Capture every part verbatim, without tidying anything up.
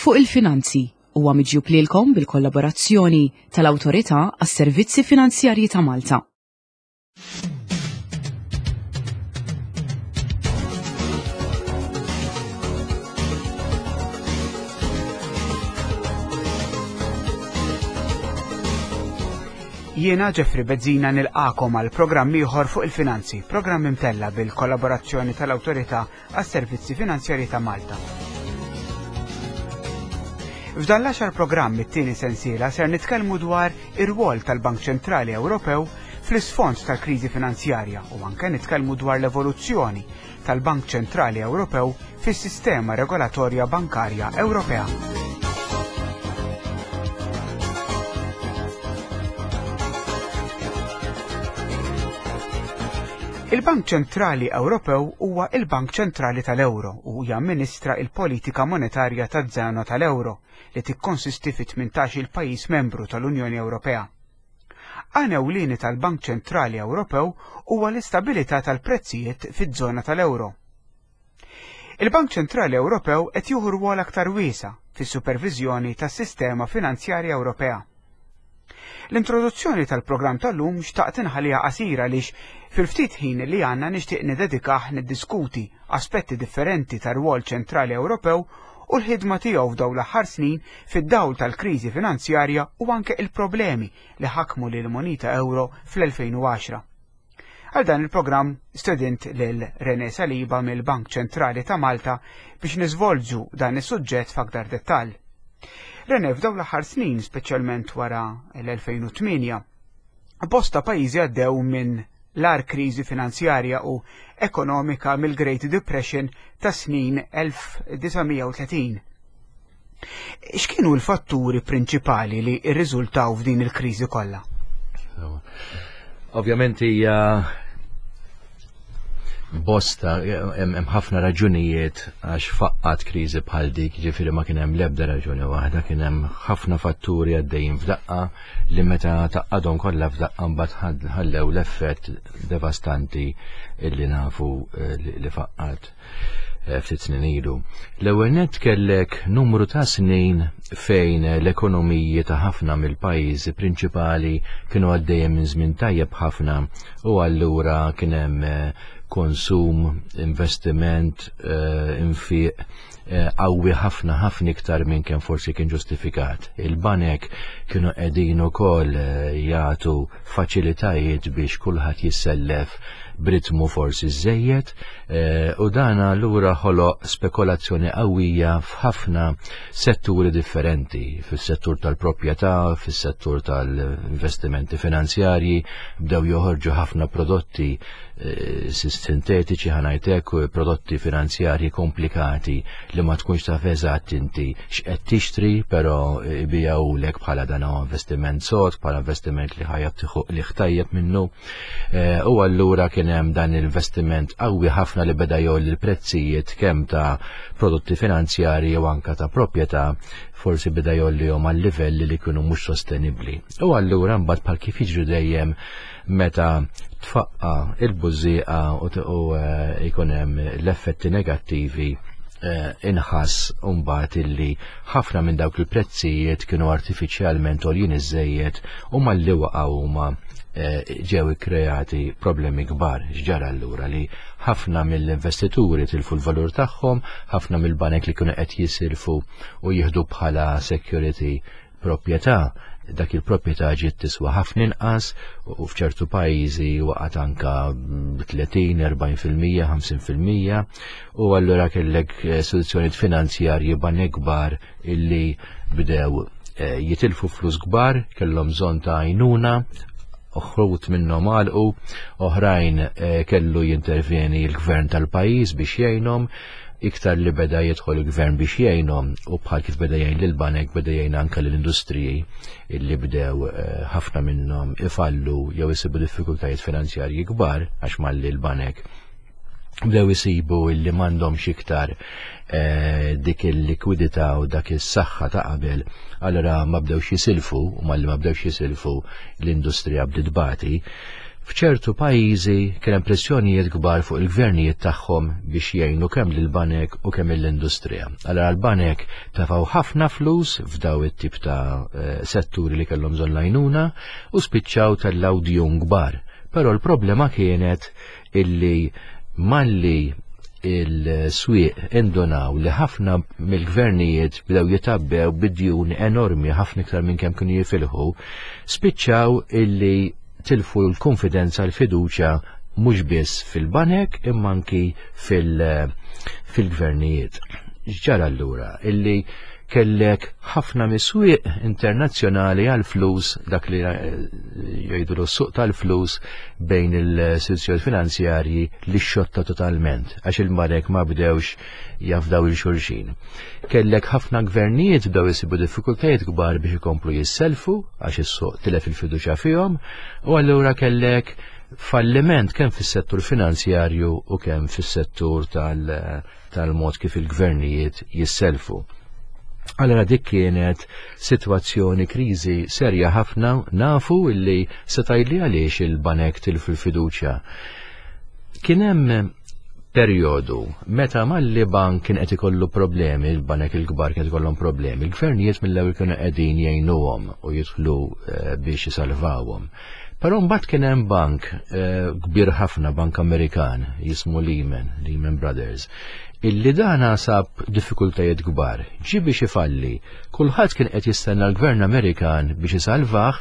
Fuq il-Finanzi huwa miġjub lilkom bil-kollaborazzjoni tal-Awtorità għas-Servizzi Finanzjarji ta' Malta. Jiena Jeffrey Bezzina nilqakom għal programm ieħor fuq il-finanzi, programm imtella bil-kollaborazzjoni tal-Awtorità għas-Servizzi Finanzjarji ta' Malta. F'dan l-għaxar programm it-tieni sensiela ser nitkellmu dwar ir-rwol tal-Bank Ċentrali Ewropew fl-isfond tal-kriżi finanzjarja u anke nitkellmu dwar l-evoluzzjoni tal-Bank Ċentrali Ewropew fis-sistema regolatorja bankarja Ewropea. Il-Bank Ċentrali Ewropew huwa il-Bank Ċentrali tal-Ewro u jamministra il-politika monetarja taż-żona tal-Ewro li tikkonsisti fi tmintax il pajjiż membru tal-Unjoni Ewropea. Għan ewlieni tal-Bank Ċentrali Ewropew huwa l-istabilità tal-prezzijiet fiż-żona tal-Ewro. Il-Bank Ċentrali Ewropew qed jieħu rwol aktar wiesa' fis-superviżjoni tas-sistema finanzjarja Ewropea. L-introduzzjoni tal-programm tal-lum xtaqt inħalliha qasira għaliex fil-ftit ħin li għandna nixtieq niddedikah niddiskuti aspetti differenti tar-rwol ċentrali Ewropew u l-ħidma tiegħu f'dawn l-aħħar snin fid-dawl tal-kriżi finanzjarja u anke il-problemi li ħakmu lil moneta euro fl-elfejn u għaxra. Għal dan il-programm stedint lil René Saliba mill-Bank Ċentrali ta' Malta biex niżvolġu dan is-suġġett f'aktar dettall. René, f'dawn l-aħħar snin, speċjalment wara l-elfejn u tmienja, bosta pajjiżi għaddew minn l-agħar kriżi finanzjarja u ekonomika mill-Great Depression ta' snin elf disa' mija u tletin. X'kienu l-fatturi prinċipali li rriżultaw f'din il-kriżi kollha? Ovvjament hija bosta, hemm ħafna raġunijiet għax faqqat kriżi bħal dik, ġifieri ma kien hemm l-ebda raġuni waħda, kien hemm ħafna fatturi għaddejjin f'daqqa li meta taqqadhom kollha f'daqqa mbagħad ħallew l-effett devastanti illi nafu, eh, li, li faqqat, eh, ftit snin ilu. L-ewwel nett kellek numru ta' snin fejn l-ekonomiji ta' ħafna mill-pajjiżi prinċipali kienu għaddejjin minn żmien tajjeb ħafna u allura kien hemm, eh, konsum, investiment, eh, infiq, eh, qawwi ħafna ħafna iktar minn kemm forsi kien ġustifikat. Il-banek kienu qegħdin ukoll, eh, jagħtu faċilitajiet biex kulħadd jissellef b'ritmu forsi żejjed, eh, u dan allura ħoloq spekulazzjoni qawwija f'ħafna setturi differenti, fis-settur tal-proprjetà, fis-settur tal-investimenti finanzjarji, bdew joħorġu ħafna prodotti, eh, sintetiċi, ħanajtek, prodotti finanzjarji komplikati li ma tkunx taf eżatt inti x'qed tixtri, però ibijawlek bħala dan huwa investiment sod, bħala investiment li ħajja tieħu li ħtajjeb minnu. Eh, u allura kien hemm dan l-investiment qawwi ħafna li beda jgħolli l-prezzijiet kemm ta' prodotti finanzjarji u anka ta' proprjetà, forsi beda jgħollihom għal livelli li kienu mhux sostenibbli. U allura mbagħad bħal kif jiġri dejjem meta tfaqqa il-bużieqa u t-, u, eh, jkun hemm l-effetti negattivi, eh, inħass mbagħad illi ħafna minn dawk il-prezzijiet kienu artifiċjalment għoljin iżejjed u malli waqgħu huma, eh, ġew ikkreati problemi kbar. X'ġara allura li ħafna mill-investituri tilfu l-valur tagħhom, ħafna mill-banek li kienu qed jisilfu u jieħdu bħala security proprjetà, dak il-proprjetà ġiet tiswa ħafna inqas u f'ċertu pajjiżi waqgħet anka tletin, erbgħin fil-mija, ħamsin fil-mija, u allura kellek istituzzjonijiet finanzjarji banek kbar illi bdew, eh, jitilfu flus kbar, kellhom bżonn ta' għajnuna, uħrut minnhom għalqu, oħrajn, eh, kellu jintervjeni l-gvern tal-pajjiż biex jgħinhom, iktar li beda jidħol il-gvern biex jgħinhom u bħal kif beda jgħin lill-banek beda jgħin anke lill-industriji illi bdew, eh, ħafna minnhom ifallu jew isibu diffikultajiet finanzjarji kbar għax malli l-banek bdew isibu illi m'għandhomx iktar, eh, dik il-likwidità u dak is-saħħa ta' qabel, allura ma bdewx jisilfu, u malli ma bdewx jisilfu l-industrija bdiet tbati. F'ċertu pajjiżi kien hemm pressjonijiet kbar fuq il-gvernijiet tagħhom biex jgħinu kemm lill-banek u kemm l-industrija. Allura l-banek tefgħu ħafna flus f'daw it-tip ta' eh, setturi li kellhom bżonn l-għajnuna u spiċċaw tellgħu djun kbar. Però l-problema kienet illi malli il-swieq indunaw li ħafna mill-gvernijiet bdew jitgħabbew bid-djun enormi, ħafna iktar minn kemm kienu jifilħu, spiċċaw illi tilfu l-konfidenza, l-fiduċja, mhux biss fil-banek imma anki fil-gvernijiet. Ġara allura illi kellek ħafna mis-swieq internazzjonali għal-flus, dak li eh, jgħidu l-suq tal-flus bejn il-istituzzjoni finanzjarji, li xotta totalment, għax il-banek ma bdewx jafdaw lil xulxin. Kellek ħafna gvernijiet bdew jisibu diffikultajiet kbar biex ikomplu jisselfu għax is-suq tilef il-fiduċja fihom, u allura kellek falliment kemm fis-settur finanzjarju u kemm fis-settur tal-mod kif il-gvernijiet jisselfu. Allora dik kienet situazzjoni, kriżi serja ħafna. Nafu illi setajli għaliex il-banek tilfu l-fiduċja. Kien hemm perjodu meta malli bank kien qed ikollu problemi, il-banek il-kbar kien ikollhom problemi, il-gvernijiet mill-ewwel kienu qegħdin jgħinuhom u jidħlu eh, biex jisalvawhom. Però mbagħad kien hemm bank eh, kbir ħafna, bank Amerikan jismu Lehman, Lehman Brothers, illi dana sab diffikultajiet kbar. Ġi biex ifalli, kulħadd kien qed jistenna l-Gvern Amerikan biex isalvah,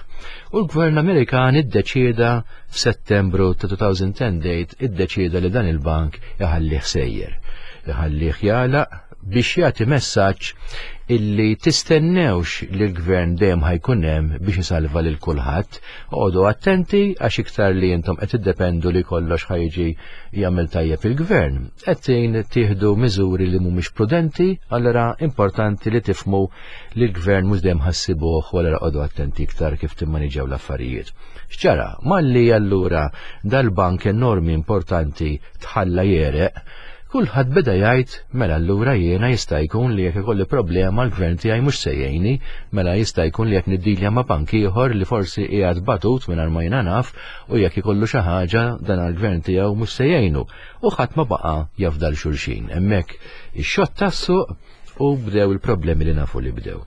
u l-Gvern Amerikan iddeċieda f'Settembru ta' elfejn u għaxra date, iddeċieda li dan il-bank iħallih sejjer. Iħallih jagħlaq biex jagħti messaġġ illi tistennewx li l-gvern dejjem ħa jkun hemm biex isalva lil kulħadd. Oqogħdu attenti għax iktar li intom qed tiddependu li kollox ħa jiġi jagħmel tajjeb il-gvern, qed tieħdu miżuri li mhumiex prudenti. Allura importanti li tifhmu li l-gvern mhux dejjem ħa ssibuh u allura oqogħdu attenti iktar kif timmaniġġjaw l-affarijiet. X'ġara? Malli allura dal-bank enormi importanti tħalla jegħreq, kulħadd beda jgħid: "Mela allura jiena jista' jkun li jekk ikolli problema l-gvern tiegħi mhux se jgħinni, mela jista' jkun li jekk niddilja ma' bank ieħor li forsi qiegħed batut mingħajr ma jiena naf u jekk ikollu xi ħaġa dan għall-gvern tiegħu mhux se jgħinu." U ħadd ma baqa' jafda lil xulxin. Hemmhekk ix-xott tas-suq u bdew il-problemi li nafu li bdew.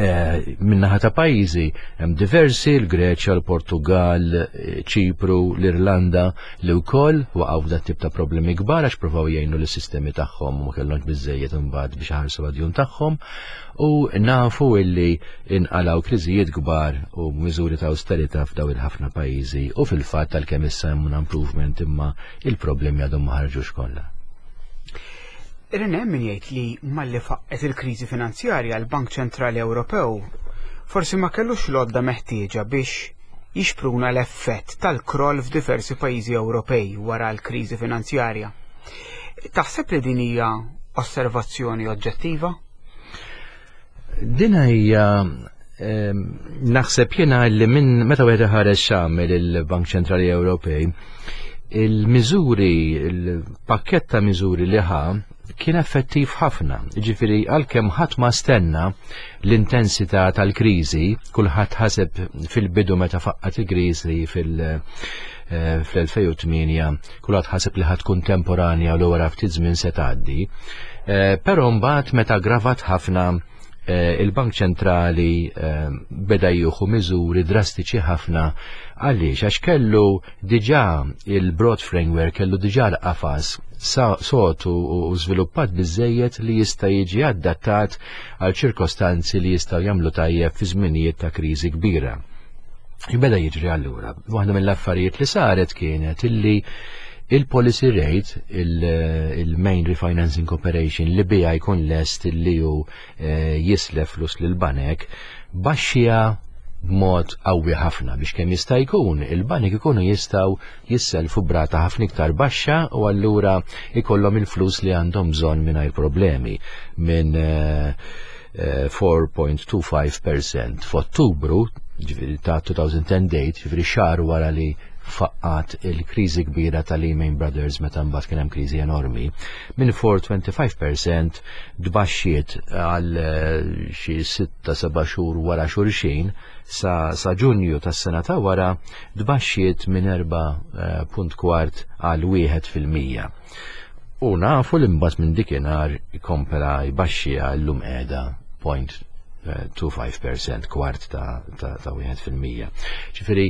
Eh, Min-naħa ta' pajjiżi hemm diversi, l-Greċja, l-Portugal, eh, Ċipru, l-Irlanda, li wkoll waqgħu f'dat tip ta' problemi kbar għax provaw jgħinu lis-sistemi tagħhom u ma kellhomx biżejjed imbagħad biex iħarsu għad-djun tagħhom, u nafu illi inqalgħu kriżijiet kbar u miżuri ta' austerità f'daw il-ħafna pajjiżi, u fil-fatt tal-kemm issa hemm un improvement imma il-problemi għadhom ma ħarġux kollha. Irene, min jgħid li malli faqqet il-kriżi finanzjarja l-Bank Ċentrali Ewropew forsi ma kellux l-għodda meħtieġa biex jixpruna l-effett tal-kroll f'diversi pajjiżi Ewropej wara l-kriżi finanzjarja. Taħseb li din hija osservazzjoni oġġettiva? Din hija ehm, naħseb jiena li minn meta wieħed ħareġ x'għamel il-Bank Ċentrali Ewropej, il-miżuri, il-pakket ta' miżuri li ħa kien effettiv ħafna. Ġifieri għalkemm ħadd ma stenna l-intensità tal-kriżi, kulħadd ħaseb fil-bidu meta faqqat il-kriżi fil- eh, fl-elfejn u tmienja, kulħadd ħaseb li ħa tkun temporanja u wara ftit żmien se tgħaddi. Eh, Però mbagħad meta gravat ħafna, eh, il-Bank Ċentrali beda jieħu miżuri drastiċi ħafna. Għaliex? Għax kellu diġà il-broad framework, kellu diġà l-qafas sod u żviluppat biżejjed li jista' jiġi adattat għal ċirkostanzi li jistgħu jagħmlu tajjeb fi żminijiet ta' kriżi kbira. Beda jiġri allura. Waħda mill-affarijiet li saret kienet illi il-policy rate, il-main refinancing operation li bija jkun lest li ju eh, jislef flus lil banek, baxxiha b'mod qawwi ħafna biex kemm jista' jkun il-banek ikunu jistgħu jisselfu b'rata ħafna iktar baxxa u allura ikollhom il-flus li għandhom bżonn mingħajr problemi, minn eh, erba punt tnejn ħamsa fil-mija f'Ottubru, ġifieri ta' elfejn u għaxra date, ġifieri xahar wara li faqqat il-kriżi kbira ta' Lehman Brothers meta mbagħad kien hemm kriżi enormi, minn four point two five percent tbaxxiet għal eh, xi sitta seba' xhur wara xulxin sa, sa Ġunju tas-sena ta' wara, tbaxxiet minn erba' eh, punt kwart għal wieħed fil-mija. U nafu li mbagħad minn dikinhar kompla jbaxxi, għal-lum qiegħda zero point two five percent, kwart ta' ta' ta' wieħed fil-mija. Ġifieri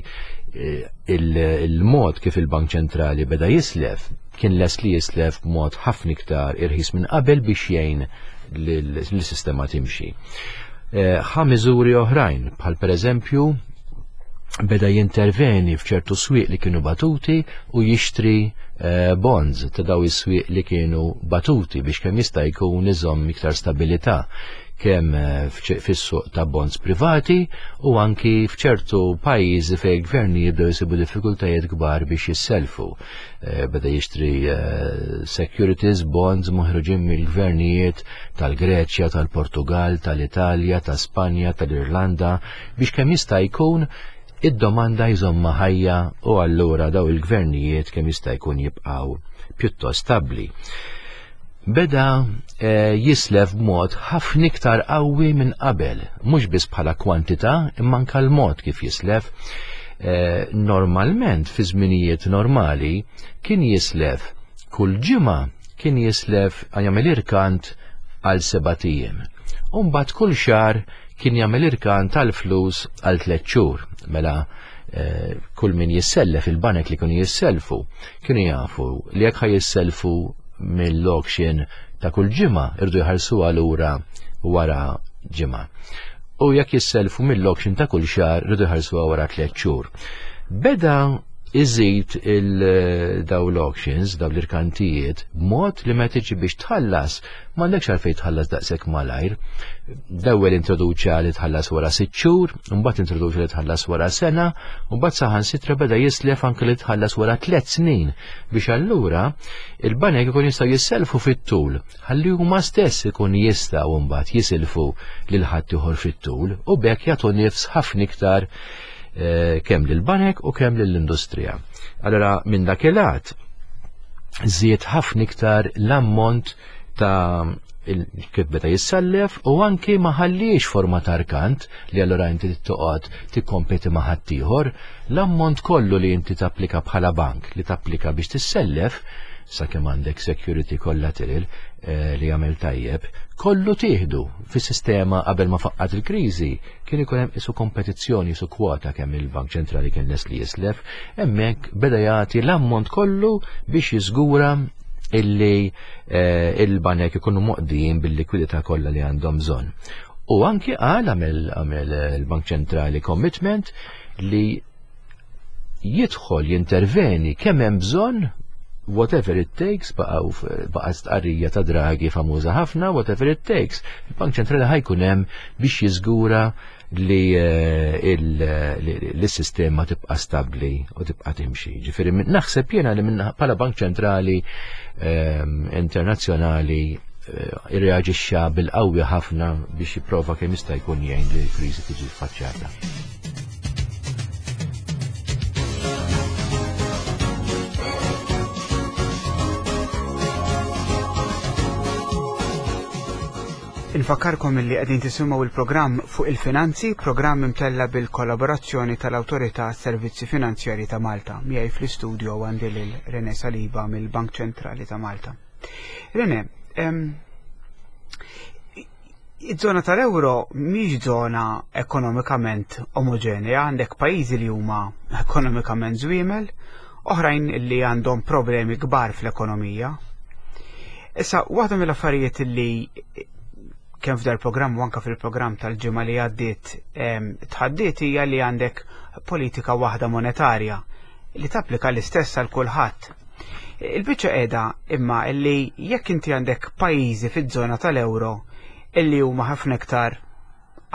eh, il-mod kif il-Bank Ċentrali beda jislef, kien les li jislef b'mod ħafna iktar irħis minn qabel biex jgħin l-sistema timxi. Eh, ħa miżuri oħrajn, bħal pereżempju beda jinterveni f'ċertu swieq li kienu batuti u jixtri eh, bonds ta' daw is-swieq li kienu batuti biex kemm jista' jkun iżomm iktar stabilità, kemm eh, fis-suq ta' bonds privati u anki f'ċertu pajjiżi fejn gverni jibdew jsibu diffikultajiet kbar biex jisselfu. Eh, beda jixtri securities, bonds moħruġin mill-gvernijiet tal-Greċja, tal-Portugal, tal-Italja, ta' Spanja, tal-Irlanda, biex kemm jista' jkun id-domanda jżomma ħajja u allura daw il-gvernijiet kemm jista' jkun jibqgħu pjuttost stabbli. Beda eh, jislef b'mod ħafna iktar qawwi minn qabel, mhux biss bħala kwantità imma anke l-mod kif jislef. Eh, normalment fi żminijiet normali kien jislef kull ġimgħa, kien jislef, jagħmel irkant għal sebat ijiem. U mbagħad kull xahar kien jagħmel irkant tal-flus għal tliet xhur. Mela eh, kull min jissellef, il-banek li kienu jisselfu, kienu jafu li jekk ħa jisselfu mill-auction ta' kull ġimgħa, iridu jħallsu lura wara ġimgħa. U jekk jisselfu mill-auction ta' kull xahar, iridu jħallsu wara tliet xhur. Beda iżid il-daw l-auctions, daw l-irkantijiet, b'mod li meta tiġi biex tħallas, m'għandekx għalfejn tħallas daqshekk malajr. L-ewwel introduċa li tħallas wara sitt xhur, mbagħad introduċa li tħallas wara sena, u mbagħad saħansitra beda jislef anke li tħallas wara tliet snin biex allura il-banek ikun jistgħu jisselfu fit-tul, ħalli huma stess ikun jistgħu mbagħad jisilfu lil ħadd fit-tul u b'hekk jagħtu nifs ħafna iktar Eh, kemm lill-banek u kemm lill-industrija. Allora minn dak il-lat żied ħafna iktar l-ammont ta' kif beda jissellef u anki ma ħalliex forma ta' rkant li allura inti toqgħod tikkompeti ma' ħaddieħor. L-ammont kollu li inti tapplika bħala bank, li tapplika biex tissellef, sakemm għandek security collateral eh, li jagħmel tajjeb, kollu tieħdu. Fis-sistema qabel ma faqqat il-kriżi kien ikun hemm isu kompetizzjoni, isu kwota kemm il-Bank Ċentrali kien les li jislef, hemmhekk beda jagħti l-ammont kollu biex jiżgura illi eh, il-banek ikunu moqdijin bil-likwidità kollha li għandhom bżonn. U anki qal, għamel il-Bank Ċentrali commitment li jidħol jinterveni kemm hemm bżonn, whatever it takes. Baqgħu baqa' stqarrija ta' Draghi famuża ħafna, "whatever it takes". Il-Bank Ċentrali ħa jkun hemm biex jiżgura li eh, l-sistema tibqa' stabbli u tibqa' timxi. Ġifieri naħseb jiena li minn bħala Bank Ċentrali ehm, internazzjonali eh, irreaġixxa bil-qawwi ħafna biex jipprova kemm jista' jkun jgħin li l-kriżi tiġi faċċata. Infakkarkom li qegħdin tisimgħu il-programm fuq il-finanzi, programm imtella bil-kollaborazzjoni tal-Awtorità Servizzi Finanzjari ta' Malta. Miegħi fl-istudio għandi lil Rene Saliba mill-Bank Ċentrali ta' Malta. Rene, iż-żona tal-euro mhix żona ekonomikament omogenea, għandek pajjiżi li huma ekonomikament żwiemel, oħrajn li għandhom problemi kbar fl-ekonomija. Issa, waħda mill-affarijiet li kemm f'dal programm u anka fil-programm tal-ġimgħa li għaddiet tħaddiet hija li għandek politika waħda monetarja li tapplika l-istess għal kulħadd. Il-biċċa qiegħda imma illi jekk inti għandek pajjiżi fiż-żona tal-euro illi huma ħafna iktar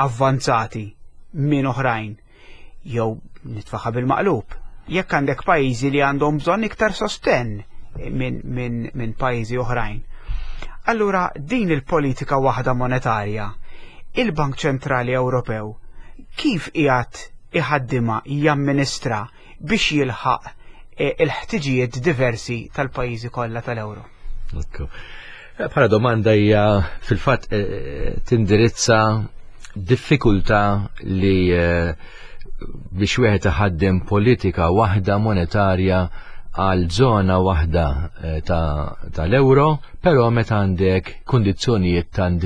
avvanzati minn oħrajn, jew nitfaħa bil-maqlub, jekk għandek pajjiżi li għandhom bżonn iktar sostenn minn min, min pajjiżi oħrajn. Allura din il-politika waħda monetarja, il-Bank Ċentrali Ewropew kif qiegħed iħaddima, jamministra biex jilħaq il-ħtiġijiet diversi tal-pajjiżi kollha tal-Ewro? Bħala domanda hija fil-fatt tindirizza diffikultà li biex wieħed iħaddem politika waħda monetarja għal żona waħda tal-euro, però meta għandek kundizzjonijiet tan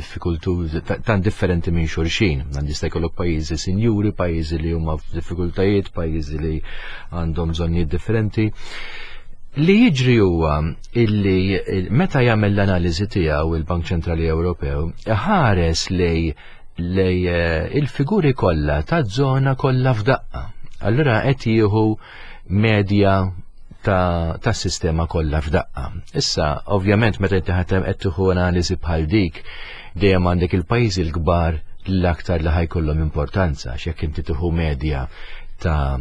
tan differenti minn xulxin. Għandi jista' jkollok pajjiżi sinjuri, pajjiżi li huma f'diffikultajiet, pajjiżi li għandhom bżonnijiet differenti. Li jiġri huwa illi meta jagħmel l-analiżi tiegħu il-Bank Ċentrali Ewropew ħares lej lej il-figuri kollha taż-żona kollha f'daqqa. Allura qed jieħu medja ta' tas-sistema kollha f'daqqa. Issa, ovvjament, meta inti qed tieħu analiżi bħal dik, dejjem għandek il-pajjiżi l-kbar l-aktar li ħajkollhom importanza, x'jekk inti tieħu medja ta'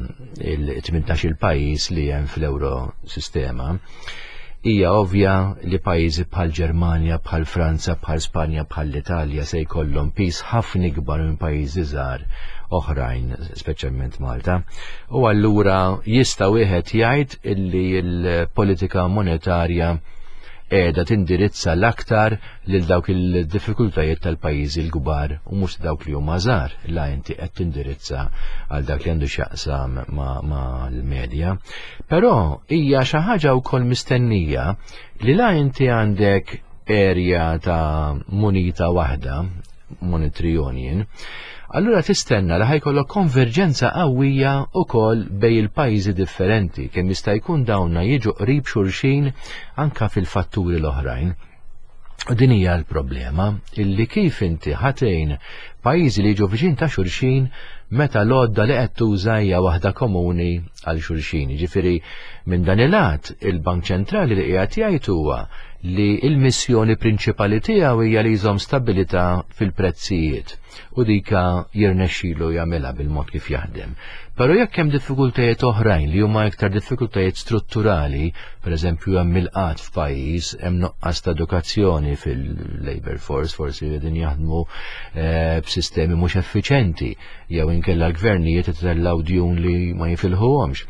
il-tmintax il pajjiż li hemm fl-euro sistema, hija ovvja li pajjiżi bħal Ġermanja, bħal Franza, bħal Spanja, bħal l-Italja se jkollhom pis ħafna ikbar minn pajjiżi żgħar oħrajn, speċjalment Malta. U allura jista' wieħed jgħid illi l-politika monetarja qiegħda tindirizza l-aktar lil dawk il-diffikultajiet tal-pajjiżi l-kbar u mhux dawk li huma żgħar, la inti qed tindirizza għal dak li għandu x'jaqsam ma' l-medja. Però hija xi ħaġa wkoll mistennija li la inti għandek area ta' munita waħda, monetary union, allura tistenna li ħajkollok konverġenza qawwija wkoll bej il-pajjiżi differenti, kemm jista' jkun dawna jiġu qrib xulxin anka fil-fatturi l-oħrajn. U din hija l-problema, illi kif inti ħatejn pajjiżi li jiġu viċin ta' xulxin meta l-għodda li qed tuża hija waħda komuni għal xulxin. Jiġifieri minn dan il-lat il-Bank Ċentrali li qiegħed jgħid huwa li l-missjoni prinċipali tiegħu hija li jżomm stabilità fil-prezzijiet u dika jirnexxilu jagħmilha bil-mod kif jaħdem. Però jekk hemm diffikultajiet oħrajn li huma iktar diffikultajiet strutturali, pereżempju hemm il-qgħad f'pajjiż, hemm nuqqas ta' edukazzjoni fil-labor force, forsi qegħdin jaħdmu eh, b'sistemi mhux effiċenti, jew inkella l-gvernijiet itellgħu djun li ma jifilħuhomx.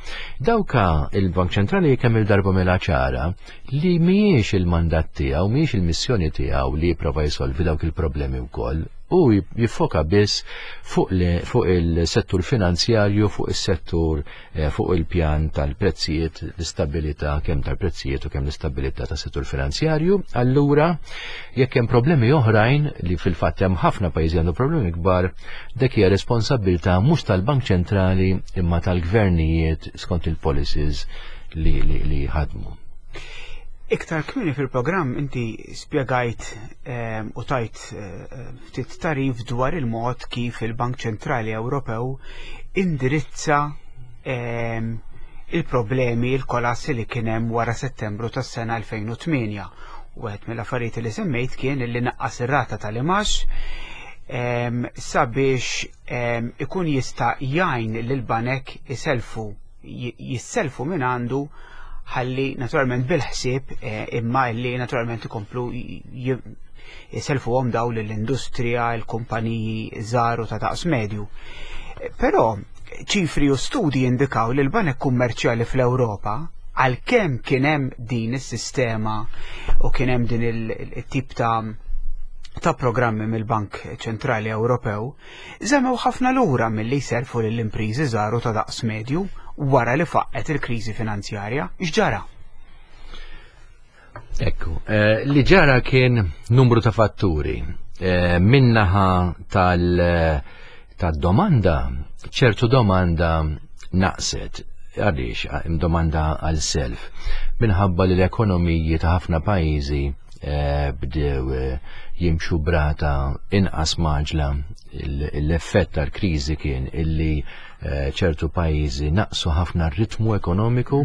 Dawka il-Bank Ċentrali kemm il-darba mela ċara li mhijiex il-mandat tiegħu, mhijiex il-missjoni tiegħu li jipprova jsolvi dawk il-problemi wkoll, u jiffoka biss fuq, fuq il-settur finanzjarju, fuq is-settur eh, fuq il-pjan tal-prezzijiet, l-istabilità kemm tal-prezzijiet u kemm l-istabilità tas-settur finanzjarju. Allura, jekk hemm problemi oħrajn li fil-fatt hemm ħafna pajjiżi għandu problemi kbar, dik hija responsabilità mhux tal-Bank Ċentrali imma tal-gvernijiet skont il-policies li, li, li ħadmu. Iktar kmieni fil-programm inti spjegajt ehm, u tajt eh, ftit tarif dwar il-mod kif il-Bank Ċentrali Ewropew indirizza ehm, il-problemi, il-kolassi li kien hemm wara Settembru tas-sena elfejn u tmienja. Wieħed mill-affarijiet li semmejt kien li naqqas ir-rata tal-imax ehm, sabiex ikun jista' jgħin lil banek iselfu jisselfu minn għandu, ħalli naturalment bil-ħsieb eh, imma li naturalment ikomplu jiselfu għom daw l-industrija, l-kumpaniji żgħar u ta' daqs medju. Però ċifri u studi indikaw li l-banek kummerċjali fl-Ewropa, għalkemm kien hemm din is-sistema u kien hemm din il-tip ta' ta' programmi mill-Bank Ċentrali Ewropew, żammew ħafna lura milli jserfu lill-impriżi żgħar u ta' daqs medju wara li faqqet il-kriżi finanzjarja. X'ġara? Ekku, eh, li ġara kien numru ta' fatturi. Eh, minnaħa tal- tad-domanda, ċertu domanda naqset. Għaliex hemm domanda għal self? Minħabba li l-ekonomiji ta' ħafna pajjiżi eh, bdew eh, jimxu brata inqas maġla. L-effett tal-kriżi kien illi eh, ċertu pajjiżi naqsu ħafna r-ritmu ekonomiku,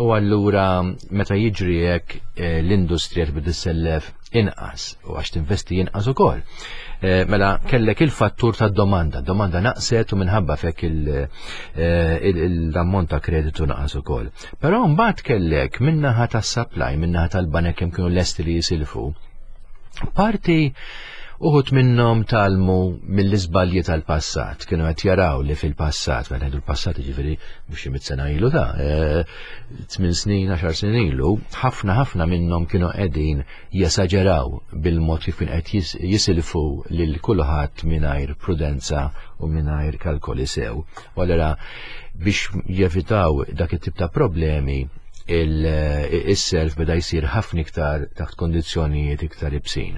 u allura meta jiġri hekk l-industrija tbid issellef inqas u għax tinvesti inqas ukoll. Mela kellek il-fattur tad-domanda, domanda naqset u minħabba fek l-ammont ta' kreditu naqas ukoll. Però mbagħad kellek min-naħa tas-supply, min-naħa tal-banek kemm kienu lesti li jisilfu. Parti Uħud minnhom tgħallmu mill-iżbalji tal-passat, kienu qed jaraw li fil-passat, meta ngħidu l-passat jiġifieri mhux xi mitt sena ilu ta' eh, tmien snin, għaxar snin ilu, ħafna ħafna minnhom kienu qegħdin jesaġeraw bil-mod kif kien qed jisilfu lil kulħadd mingħajr prudenza u mingħajr kalkoli sew. U allura biex jevitaw dak it-tip ta' problemi, il-self beda jsir ħafna iktar taħt kondizzjonijiet iktar ibsin.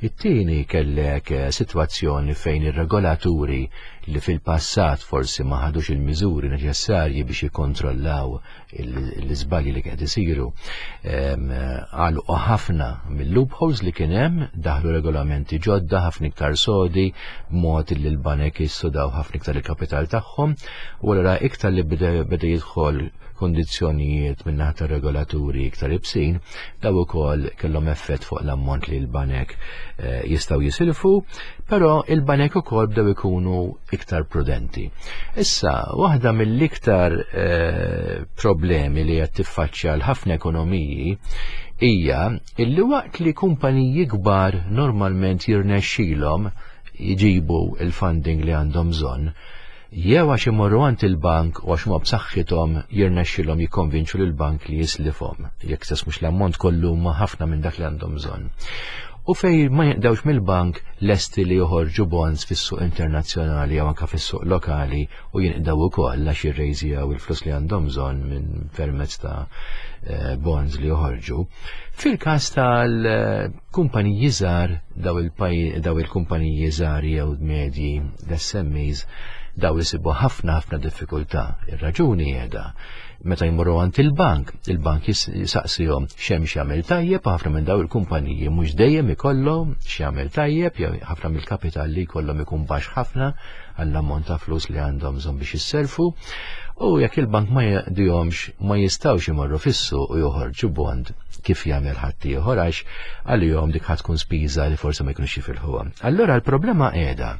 It-tieni, kellek eh, sitwazzjoni fejn ir-regolaturi li fil-passat forsi ma ħadux il-miżuri neċessarji biex jikkontrollaw l-iżbalji li qed isiru, għalqu ħafna mill-loopholes li kien hemm, daħlu regolamenti ġodda ħafna iktar sodi b'mod li l-banek jissodaw ħafna iktar il-kapital tagħhom, u allura iktar li beda jidħol kondizzjonijiet minn naħa regolaturi iktar ibsin, daw ukoll kellhom effett fuq l-ammont li l-banek eh, jistgħu jisilfu, però il-banek ukoll bdew ikunu iktar prudenti. Issa, waħda mill-iktar eh, problemi li qed tiffaċċja l-ħafna ekonomiji hija illi waqt li kumpaniji kbar normalment jirnexxilhom jġibu il-funding li għandhom bżonn, jew għax imorru għand il-bank u għax huma b'saħħithom jirnexxilhom jikkonvinċu lill-bank li jislifhom, jekk stess mhux l-ammont kollu, ma ħafna minn dak li għandhom bżonn. U fej ma jinqdewx mill-bank, lesti li joħorġu bonds fis-suq internazzjonali jew anke fis-suq lokali u jinqdew ukoll għax jirrejżjaw il-flus li għandhom bżonn minn permezz ta' eh, bonds li joħorġu. Fil-każ tal-kumpaniji żgħar, daw il-kumpaniji żgħar jew medji, l-S M Es, daw jisibu ħafna ħafna diffikultà. Ir-raġuni qiegħda meta jmorru għand il-bank, il-bank jisaqsihom x'hemm x'jagħmel tajjeb, ħafna minn daw il-kumpaniji mhux dejjem ikollhom x'jagħmel tajjeb, jew ħafna mill-kapital li jkollhom ikun baxx ħafna għall-ammont ta' flus li għandhom bżonn biex jisselfu. U jekk il-bank ma jaqdihomx, ma jistgħux imorru fis-suq u joħorġu bond kif jagħmel ħadd ieħor, għax għalihom dik ħa tkun spiża li forsi ma jkunux jifilħuha. Allura l-problema qiegħda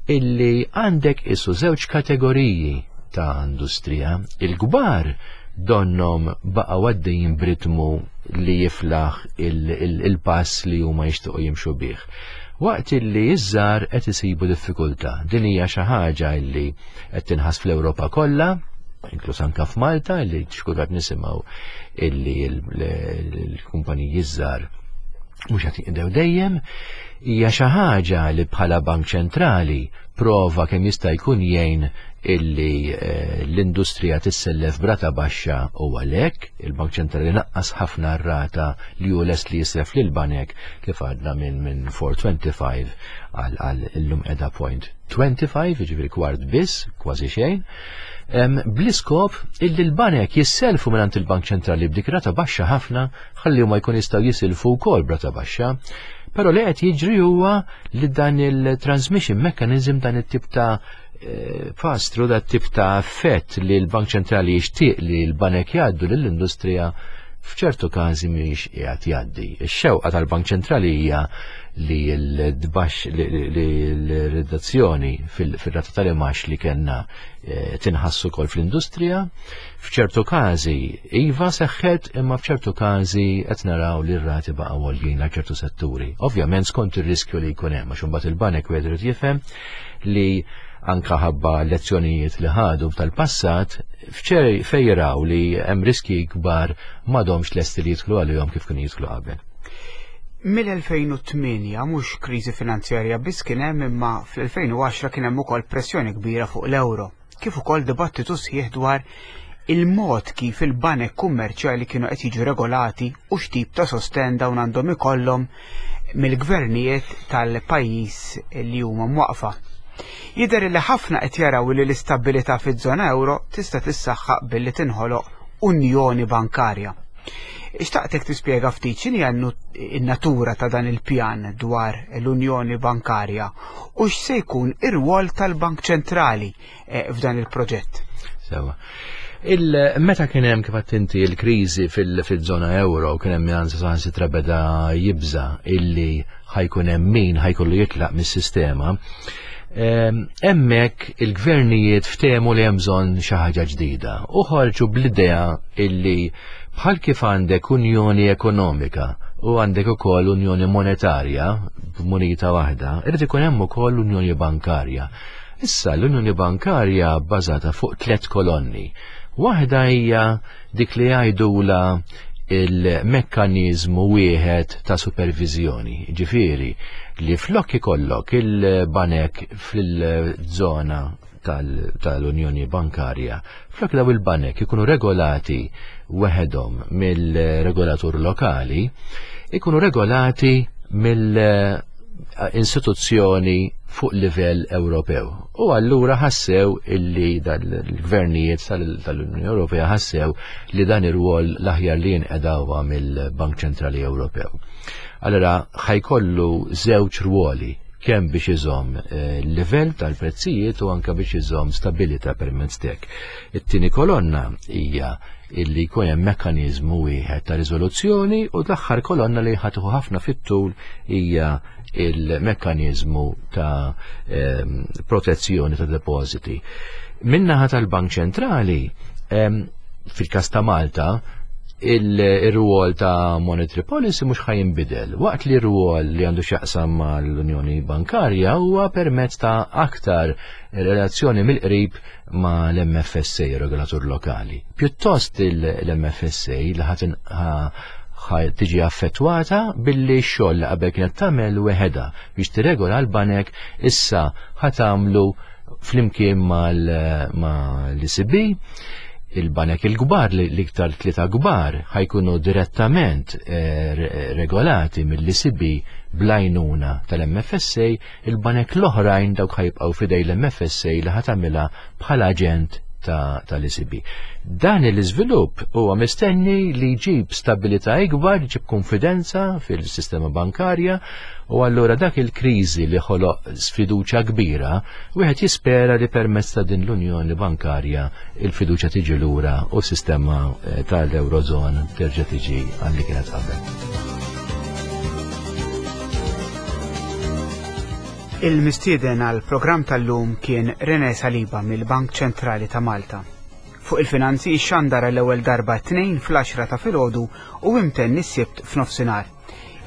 illi għandek isu żewġ kategoriji ta' industrija. Il-kbar donnom baqgħu għaddejjin b'ritmu li jiflaħ il-pass li huma jixtiequ jimxu bih, waqt illi iż-żgħar qed isibu diffikultà. Din hija xi ħaġa illi qed tinħass fl-Ewropa kollha, inkluż anka f'Malta, illi xkultat nisimgħu illi l-kumpaniji żgħar mhux qed jinqdew dejjem. Hija xi ħaġa li bħala Bank Ċentrali prova kemm jista' jkun jgħin illi eh, l-industrija tissellef b'rata baxxa, u għalhekk il-Bank Ċentrali naqqas ħafna r-rata li hu lest li jislef lil banek, kif għadna, minn minn erbgħa punt tlieta ħamsa għal illum qiegħda point twenty-five, jiġifieri kwart biss, kważi xejn, bl-iskop illi l-banek jisselfu minn il-Bank Ċentrali b'dik rata baxxa ħafna ħalli huma jkun jistgħu jisilfu wkoll b'rata baxxa. Però li qed jiġri huwa li dan il-transmission mechanism, dan it-tip ta' eh, pass-through, dat tip ta' effett li l-Bank Ċentrali jixtieq li l-banek jgħaddu lill-industrija, f'ċertu każi mhix qiegħed jgħaddi. Ix-xewqa tal-Bank Ċentrali hija li l-dbax li l-redazzjoni fil-rata tal-imax li kellna eh, tinħassu kol fl-industrija. F'ċertu każi iva seħħet, imma f'ċertu każi qed naraw li r-rati baqgħu għoljin għal ċertu setturi. Ovvjament skont ir-riskju li jkun hemm, għax imbagħad il-banek wieħed irid jifhem li anka ħabba lezzjonijiet li ħadu tal-passat, fejn jaraw li hemm riski kbar m'għadhomx lesti li jidħlu għalihom kif kienu jidħlu qabel. Mill-elfejn u tmienja mhux kriżi finanzjarja biss kien hemm, imma fl-elfejn u għaxra kien hemm ukoll pressjoni kbira fuq l-euro, kif ukoll dibattitu sħiħ dwar il-mod kif il-banek kummerċjali kienu qed jiġu regolati u x'tip ta' sosten dawn għandhom ikollhom mill-gvernijiet tal-pajjiż li huma mwaqfa. Jidher li ħafna qed jaraw li l-istabilità fiż-żona euro tista' tissaħħaq billi tinħoloq unjoni bankarja. Ixtaqtek tispjega ftit x'inhi n-natura ta' dan il-pjan dwar l-Unjoni Bankarja u x'se jkun ir-rwol tal-Bank Ċentrali eh, f'dan il-proġett. Sewa. Il-meta kien hemm, kif inti, il-kriżi fil-żona euro, kien hemm min saħansitra beda jibża illi ħa jkun hemm min ħa jkollu jitlaq mis-sistema. Hemmhekk il-gvernijiet ftehmu li hemm bżonn xi ħaġa ġdida u ħarġu bl-idea illi bħal kif għandek unjoni ekonomika u għandek ukoll unjoni monetarja b'munita waħda, irid ikun hemm ukoll unjoni bankarja. Issa l-unjoni bankarja bbażata fuq tliet kolonni. Waħda hija dik li jgħidula il-mekkaniżmu wieħed ta' supervizjoni, ġifieri li flok ikollok il-banek fil-żona tal-Unjoni Bankarja, flok daw il-banek ikunu regolati weħedhom mill-regolatur lokali, ikunu regolati mill-istituzzjoni fuq livell Ewropew. U allura ħassew illi dal-gvernijiet tal-Unjoni Ewropea ħassew li dan ir-rwol l-aħjar li jinqedawha mill-Bank Ċentrali Ewropew. Allura ħajkollu żewġ rwoli, kemm biex iżomm il-livell tal-prezzijiet u anke biex iżomm stabilità permezz tek. It-tieni kolonna hija illi jkun hemm mekkaniżmu wieħed ta' riżoluzzjoni, u l-aħħar kolonna li ħadħu ħafna fit-tul hija il-mekkaniżmu ta' ehm, protezzjoni ta' depożiti. Min-naħa tal-Bank Ċentrali, ehm, fil-każ ta' Malta, il-rwol ta' monetary policy mhux ħajinbidel. Waqt li r-rwol li għandu x'jaqsam mal-Unjoni Bankarja huwa permezz ta' aktar relazzjoni mill-qrib ma' l-M F S A, regolatur lokali. Pjuttost l-M F S A li ħatin ħa tiġi affettwata billi x-xogħol li qabel kienet tagħmel weħedha biex tirregola l-banek issa ħatamlu flimkien mal-E C B. Il-banek il-kbar, l-iktar tlieta kbar, ħajkunu direttament, eh, re-, regolati mill-E C B bl-għajnuna tal-M F S A, il-banek l-oħrajn dawk ħajbqgħu fidej l-M F S A li ħatamilha bħala aġent ta', tal-E C B. Dan l-iżvilupp huwa mistenni li jġib stabilità ikbar, jġib konfidenza fil-sistema bankarja, u allura dak il-kriżi li ħoloq sfiduċja kbira, wieħed jispera li permezz ta' din l-Unjoni Bankarja il-fiduċja tiġi lura u s-sistema, eh, tal-Eurozone terġa' tiġi għal li kienet qabel. Il-mistieden għal programm tal-lum kien René Saliba mill-Bank Ċentrali ta' Malta. Fuq il-finanzi xandara l-ewwel darba t-tnejn fl-għaxra ta' filgħodu u imtenni s-Sibt f'nofsinhar.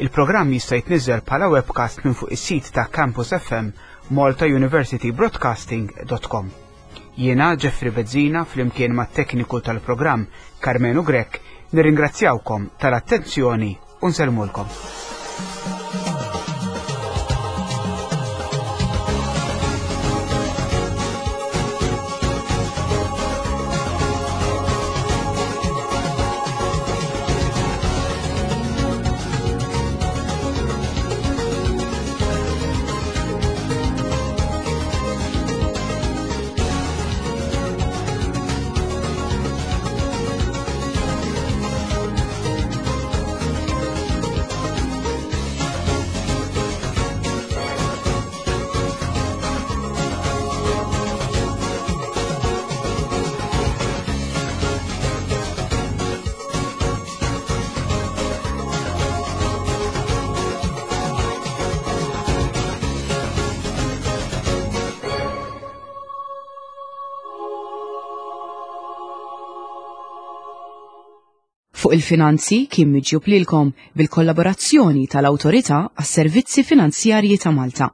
Il-programm jista' jitniżżel bħala webcast minn fuq is-sit ta' Campus F M Malta University Broadcasting dot com. Jiena Jeffrey Bezzina flimkien mat-tekniku tal-programm Carmenu Grech nirringrazzjawkom tal-attenzjoni u nsellmulkom. Fuq il-finanzi kien miġjub lilkom bil-kollaborazzjoni tal-Awtorità għas-Servizzi Finanzjarji ta' Malta.